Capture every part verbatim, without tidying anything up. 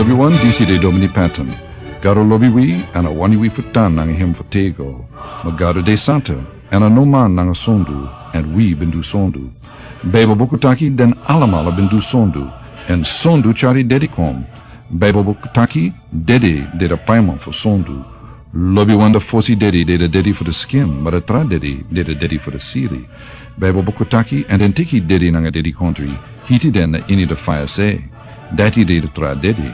Lobiwan, disi de Domini Patton. Gado lobi wi, èn a wani wi fu tan nanga hem fu tego. Ma Gado de santa, èn a no man nanga sondu, èn wi ben du sondu. Baibel buku taki den alamala ben du sondu, èn sondu tyari dedi kon. Baibel buku taki dedi de a paiman fu sondu. Lobiwan, a fosi dedi de a dedi fu a skin, ma a tra dedi de a dedi fu a siri. Baibel buku taki, èn den teki dedi nanga dedikontri, hiti den na ini a faya se. Dati de a tra dedi.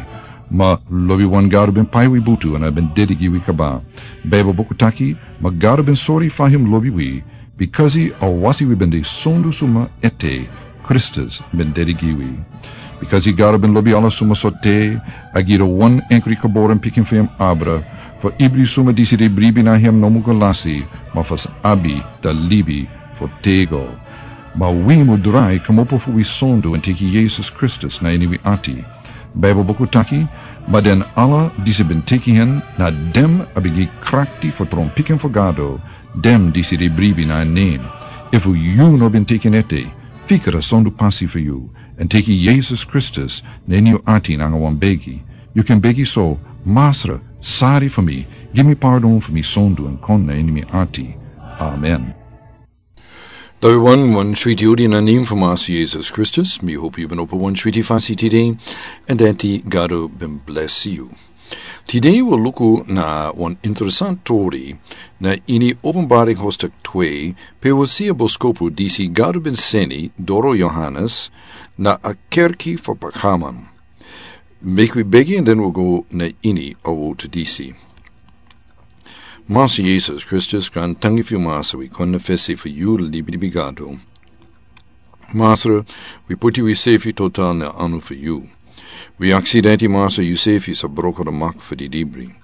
Ma lobiwan, Gado ben pai wi butu èn a ben dedi gi wi kaba. Baibel buku taki, ma Gado ben sori fa hem lobi wi, bikasi a wasi wi ben de sondu suma ete, Kristus ben dedi gi wi. Bikasi Gado ben lobi ala suma sorte, a gi a wan enkri geboren pikin fu hem abra, fu ibri suma disi de bribi na hem no mu go lasi, ma fu sa abi a libi fu tego. Ma wi mu drai kmopo fu wi sondu èn teki Yesus Kristus na ini wi ati. Baibel buku taki, ma den ala disi ben teki hen, na den a ben gi krakti fu tron pikin fu Gado, den disi de bribi na en nen. Efu yu no ben teki en ete, fika a sondu pasi fu yu, èn teki Yesus Kristus na ini yu ati nanga wan begi. Yu kan begi so: Masra, sori fu mi, gi mi pardon fu mi sondu èn kon na ini mi ati. Amen. Lobiwan, wan switi odi na nen fu Masra Yesus Kristus. Mi hopi yu ben opo wan switi fasi tide, èn dati Gado ben blesi yu. Tide wi o luku na wan interesan tori na ini Openbaring hoofdstuk twee, pe wi o si a boskopu disi Gado ben seni doro Yohanes na a kerki fu Pergamon. Meki wi begi èn den wi o go na ini a wortu disi. Masra Yesus Kristus, grantangi fu yu, Masra, wi kon na fesi fu yu, libi, libi Gado. Masra, wi poti wisefi total na anu fu yu. Wi aksi dati, Masra, yusefi sa broko a mak fu di dibri.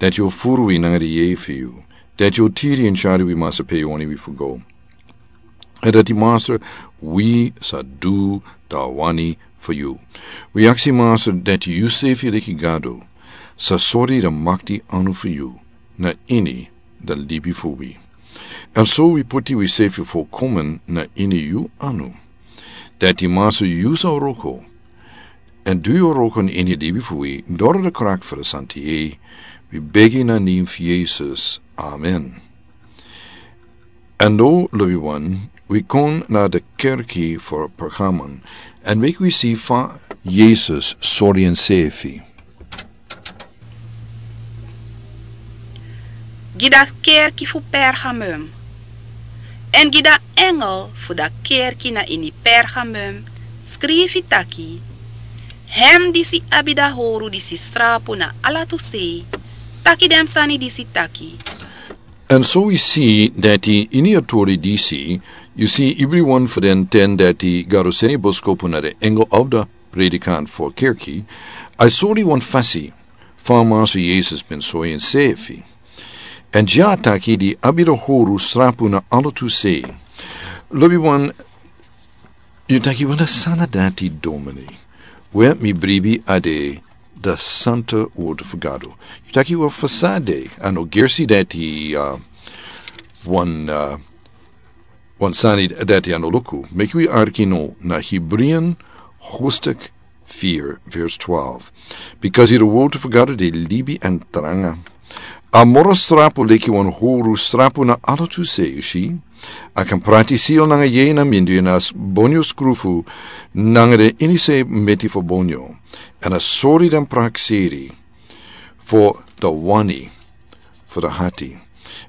Dati yu o furu wi nanga a yeye fu yu. Dati yu o tiri èn tyari wi, Masra, pe yu wani wi fu go. Èn dati, Masra, wi sa du a wani fu yu. Wi aksi, Masra, dati yusefi leki Gado sa sori a makti anu fu yu na ini a libi fu wi. Èn so wi poti wisefi folkomen na ini yu anu. Dati, Masra, yu sa wroko èn du yu wroko na ini a libi fu wi, doro a krak fu a Santa Yeye. Wi begi na nen fu Yesus. Amen. Èn now, lobiwan, wi kon na a kerki fu Pergamon, èn meki wi si fa Yesus sori ensefi. Gi a kerki fu Pergamum. Èn gi a engel fu a kerki na ini Pergamum skrifi taki: Hem disi abi a howru disi srapu na ala tu sei, taki den sani disi taki. Èn so wi si dati ini a tori disi, yu si, ibri wan fu den ten dati Gado seni boskopu na a engel of a predikant fu a kerki, a sori wan fasi fa Masra Yesus ben sori ensefi. Èn dya a taki di abi a howru srapu na ala tu sei. Lobiwan, yu taki: Wan sani dati, Domini? We, mi bribi a de a santa wortu fu Gado. Yu taki: We, fu san a de? A no gersi dati, uh, wan, uh, wan sani dati a no luku. Meki wi arki now na Hebreeën hoofdstuk vier, vers twaalf. Bikasi a wortu fu Gado de libi èn tranga. A moro srapu leki wan howru srapu na ala tu sei, yu si. A kan prati sili nanga yeye na mindri, èn a bonyo skrufu nanga den ini sei meti fu bonyo. Èn a sori den prakseri fu a wani fu a hati.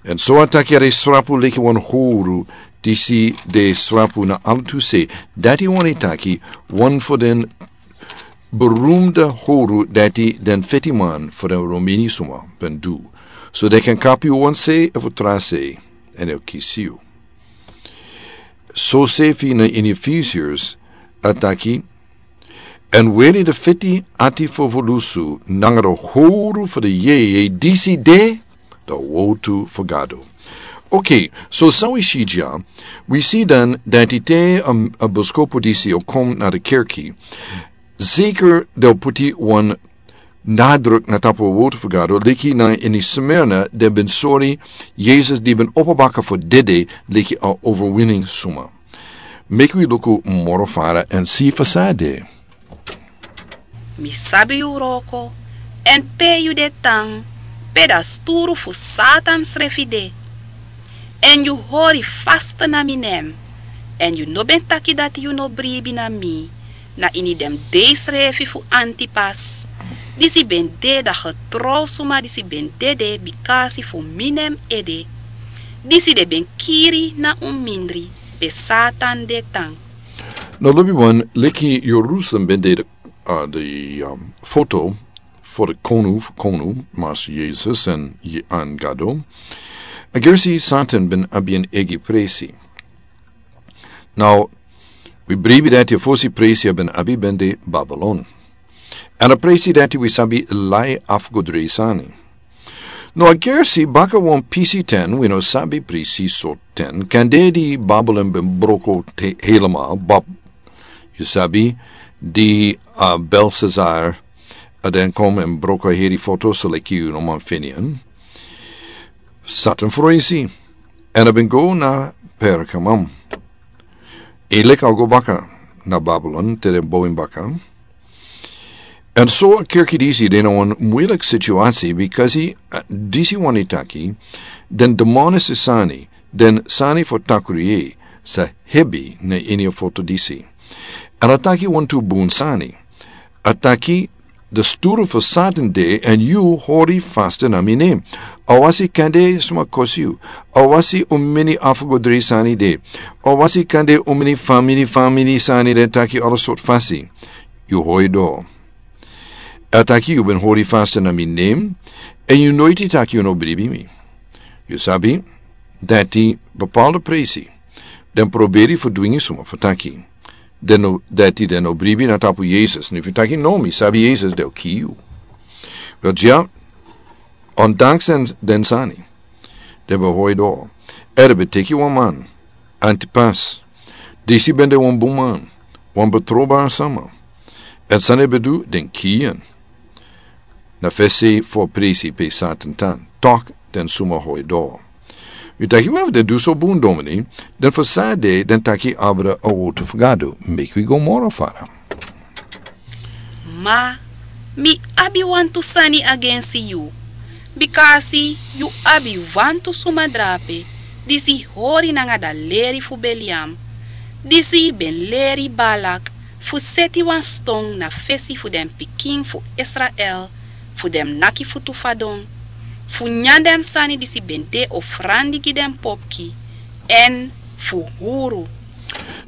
Èn so a taki a de srapu leki wan howru disi de srapu na ala tu sei. Dati wani taki wan fu den berumda howru dati den fetiman fu den Romani suma ben du. So den kan kapu wan sei efu tra sei, èn den o kisi yu. So sefi na ini Efesiërs a taki: Èn weri a feti ati fu evolusi nanga a howru fu a yeye, disi de a wortu fu Gado. Okay, so san wi si dya? Wi si dan dati te, um, a boskopu disi o kon na a kerki, zeker den o poti wan nadruk na tapu a wortu fu Gado, leki na ini Smyrna, den ben sori Yesus di ben opo baka fu dede leki a overwinning suma. Meki wi luku moro fara èn si fu san a de. Mi sabi yu wroko, èn pe yu de tan, pe dati sturu fu Satan srefi de. Èn yu hori faste na mi nen, èn yu no ben taki dati yu no bribi na mi, na ini den dei srefi fu Antipas, disi ben de da getrow suma disi ben dede bikasi fu mi nen ede, disi den ben kiri na un mindri pe Satan de tan. No lobi wan leki Jerusalem ben de de, uh, de um, foto for de konu fu konu, Master Jesus en, en Gado. A gersi Satan ben abi en egi presi. Now, wi bribi dati a fosi presi a ben abi ben de Babylon. En a presi dati wi sabi lai afgodri sani. No a gersi baka wan pisi ten, wi no sabi presi so ten, kande di Babylon ben broko te helemaal, bab, yu sabi, di, uh, Belshazzar, a den kom en broko heri foto so leki yu no man feni en. Satan froisi. En a ben go na Pergamum. E leki a go baka na Babylon, te den bow en baka. En so a kerki disi de na wan muilik situasi, bikasi, uh, disi wani taki, den demonis sani, den sani fu takru yeye, sa hebi na ini a foto disi. En a taki wantu bun sani. A taki de sturu fu Satan de, èn yu hori faste na mi nen. A wasi kande suma kosi yu. A wasi un mini afgodri sani de. A wasi kande un mini famini famini sani de taki ala sort fasi. Yu hori doro. A taki yu ben hori faste na mi nen, èn yu noiti taki yu no bribi mi. Yu sabi, dati bepaalde presi, den proberi fu dwingi suma fu taki. Den no, dati den no bribi na tapu Jesus, ni fu taki no mi sabi Jesus, den o kiri yu. Wel, dya, ondanks den, den sani, den ben hori doro. Èn den ben teki wan man, Antipas, disi ben de wan bun man, wan betrobare sama. Èn san den ben du, den kiri en. Na fesi fu a presi pe Satan tan, tok den suma hori doro. Wi taki wi abi den du so bun domini, den fu san de, den taki abra a wotu fu Gado, meki wi go moro fara. Ma mi abi wantu sani agensi yu, bikasi yu abi wantu suma drape, disi hori nanga da leri fu Beliam, disi ben leri Balak, fu seti wan ston na fesi fu den pikin fu Israel, fu den naki futu fadon, fu nyan den sani disi ben de ofrandi gi den popki, èn fu huru.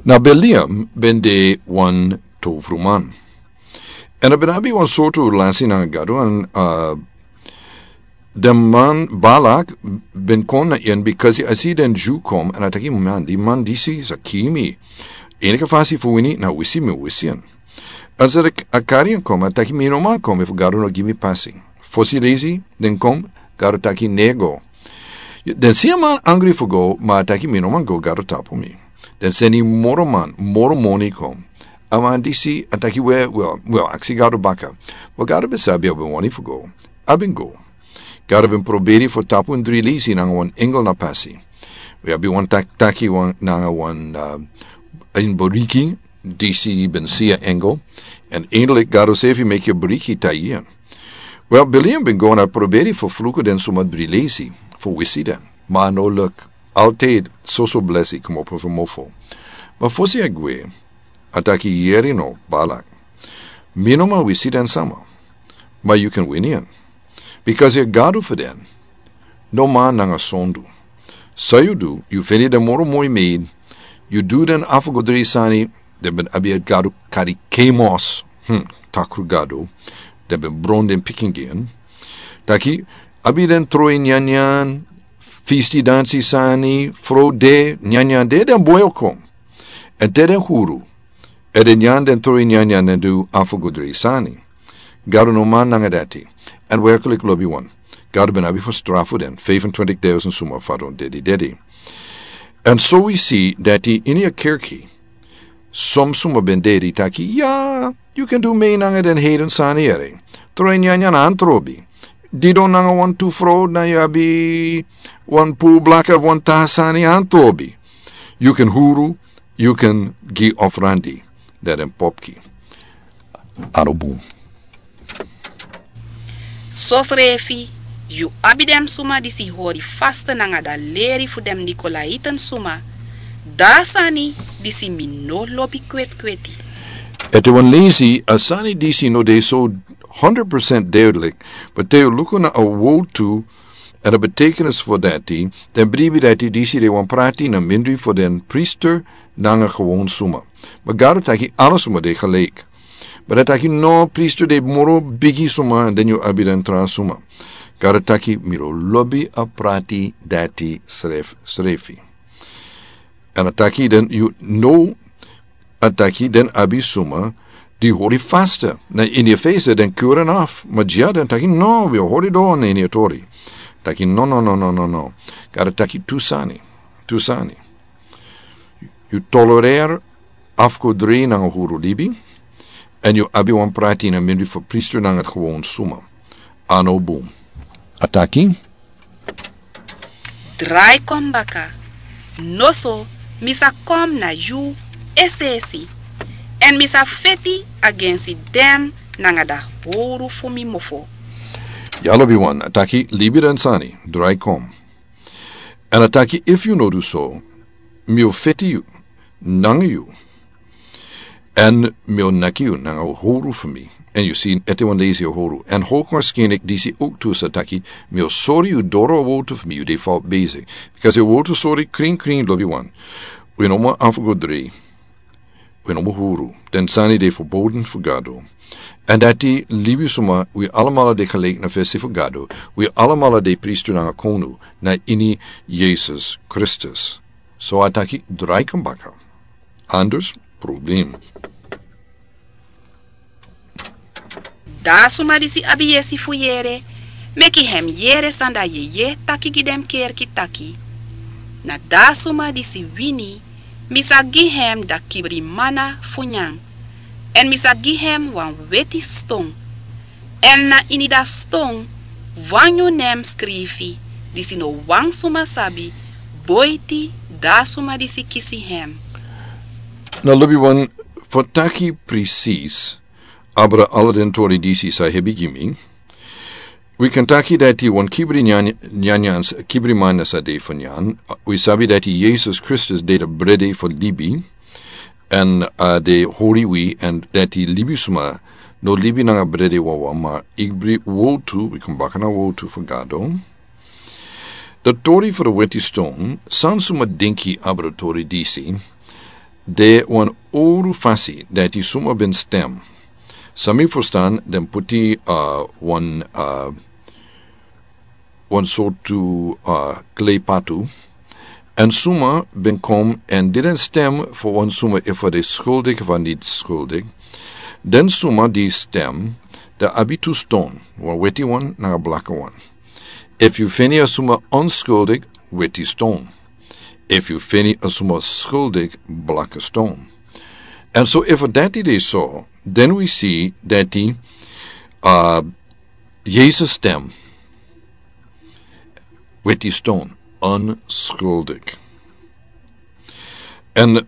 Na Beliam ben de wan towfruman. Èn a ben abi wan sortu relasi nanga Gado, èn, uh, den man Balak ben kon na en, bikasi a si den Dyu kon, èn a taki man, di man disi sa kiri mi. Enke fasi fu wini, na wisi mi wisi en. A sa a kari en kon, a taki mi no man kon, efu Gado no gi mi pasi. Fosi leisi, den kon, Gado taki no go. Den si a man angri fu go, ma a taki mi no man go, Gado tapu mi. Den seni moro man, moro moni kon. A man disi, a taki we, we, we, aksi Gado baka. We Gado ben sabi a ben wani fu go. A ben go. Gado ben proberi fu tapu en dri leisi nanga wan engel na pasi. We abi wan tak-, taki wan nanga wan, uh, en boriki, disi ben si a engel. Èn eindelijk Gado srefi meki a boriki tai en. Wel, Beliam ben go na proberi fu fluku den suma dri leisi, fu wisi den. Ma a no luk, altijd soso blesi kmopo fu mofo. Ma fosi a gwe, a taki yere no, Balak. Mi no man wisi den sama. Ma yu kan wini en. Bikasi a Gado fu den. No man nanga sondu. San yu du, yu feni den moro moi maid, yu du den afgodri sani, den ben abi a gado kari Kemos, hmm, takru gado, den ben bron den pikin gi en. Taki, abi den troi nyanyan, fisti dansi sani, frow de, nyanyan de, den boi o kon. Èn te den huru, èn den nyan den troi nyanyan, den du afgodri sani. Gado no man nanga dati. Èn werkelijk lobiwan. Gado ben abi fu strafu den, vijfentwintig duizend suma fadon dedi dedi. Èn so wi si dati ini a kerki, som suma ben dedi taki, ya, yu kan du mee nanga den heiden sani ere. Troi nyanyan antrobi. Didon nanga wantu frow, dan yu abi wan puru blaka, wan tra sani antrobi. Yu kan huru, yu kan gi ofrandi, dan den popki. A no bun. Sosrefi yu abi den suma disi hori faste nanga dan leri fu den nikolaiten suma. Dan a sani disi mi no lobi kwetkweti. Ete wan lesi a sani disi no de so honderd procent duidelijk, ma te yu luku na a wowtu èn a betekenis fu dati, den bribi dati disi de wan prati na mindri fu den priester nanga gewon suma. Ma gado taki ala suma de gelijk. Ma dan taki no, priester de moro bigi suma, èn den yu abi den tra suma. Gado taki mi no lobi a prati dati sref srefi. Èn a taki den yu no, a taki den abi suma di hori faste na ini a fese, den kuren af, ma dya den taki no, wi o hori don na ini a tori. Taki no, no, no, no, no, no. Gado taki tu sani, tu sani. Yu tolerer afkodri nanga huru libi, èn yu abi wan prati na mindri fu priester nanga gewon suma. A no bun. A taki, drai kon baka. Noso mi sa kon na yu es'esi, èn mi sa feti agensi den nanga dan howru fu mi mofo. Ya lobiwan, a taki libi den sani, drai kon. Èn a taki efu yu no du so, mi o feti yu nanga yu, èn mi o naki yu nanga howru fu mi. Èn yu si, ete wan leisi a howru. Èn hoogwaarschijnlijk disi ook tu sa taki, mi o sori yu doro a wowtu fu mi, yu de fout bezig. Because a wowtu sori krin krin lobiwan. Wi no man afgo dri. Wi no man huru. Den sani de verboden fu Gado. Èn dati libi suma, wi alamala de gelijk na fesi fu Gado. Wi alamala de priester nanga konu na ini Yesus Kristus. So a taki drai kon baka. Anders problem. Dan a suma disi abi yesi fu yere, meki hem yere san dan yeye taki gi den kerki taki. Na dan a suma disi wini, mi sa gi hem dan kibri mana fu nyan. Èn mi sa gi hem wan weti ston. Èn na ini dan ston wan nyun nen skrifi, disi no wan suma sabi, boiti dan a suma disi kisi hem. Na lobiwan, fu taki precies abra ala den tori disi sa hebi gi mi. Wi kan taki dati wan kibri nyan-, nyanyan s-, kibri mana sa de fu nyan. Wi sabi dati Yesus Kristus de dan brede fu libi. Èn a de hori wi, èn dati libi suma no libi nanga brede wawan, ma ibri wowtu, wi kon baka na wowtu fu Gado. Dan tori fu dan weti ston, san suma dinki abra tori disi, de wan owru fasi dati suma ben stem. San mi ferstan, den puti, uh, wan, uh, wan sortu, uh, klei patu. Èn suma ben kon èn didn't stem fu wan suma efu a de skuldik efu a niti skuldik. Den suma di stem, dan abi tu ston, wan weti wan nanga blaka wan. Efu yu feni a suma onskuldik, weti ston. Efu yu feni a suma skuldik, blaka ston. Èn so efu dati de so, den wi si dati, uh, Yesus stem, weti ston, onskuldik. Èn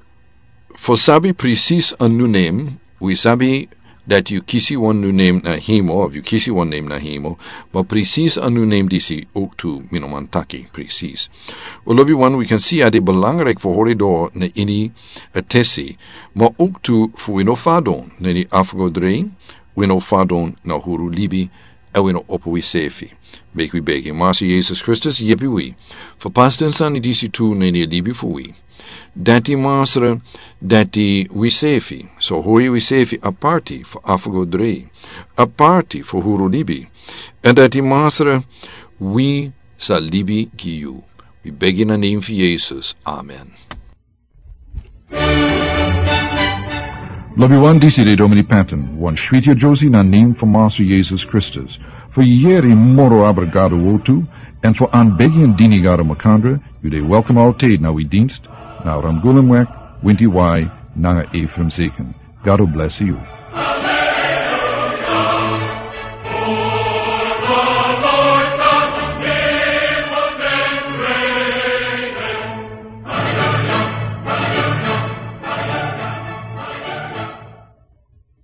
fu sabi precies a nyun nen, wi sabi dati yu kisi wan nyun nen na hemel, efu yu kisi wan nen na hemel, ma precies a nyun nen disi ook tu mi no man taki precies. Wel lobiwan, wi kan si a de belangrijk fu hori doro na ini a tesi, ma ook tu fu wi no fadon na ini afgodri, wi no fadon na huru libi, èn wi no opo wi sefi. Meki wi begi Masra Yesus Kristus yepi wi fu pasi den sani disi tu na ini a libi fu wi. Dati Masra, dati wi sefi, so hori wi sefi aparti fu afgodri, aparti fu huru libi. Èn dati Masra, wi sa libi gi yu. Wi begi na nen fu Yesus. Amen. Lobiwan, disi de Domini Patton, wan switi a Josie na nen fu Masra Yesus Kristus. Fu yeri moro abra Gado wowtu, èn fu anbegi èn dini Gado makandra, yu de welkom altijd na wi dienst, na Ramgulemweg, Winti Wai, nanga Ephraim Zeken. Gado bless yu.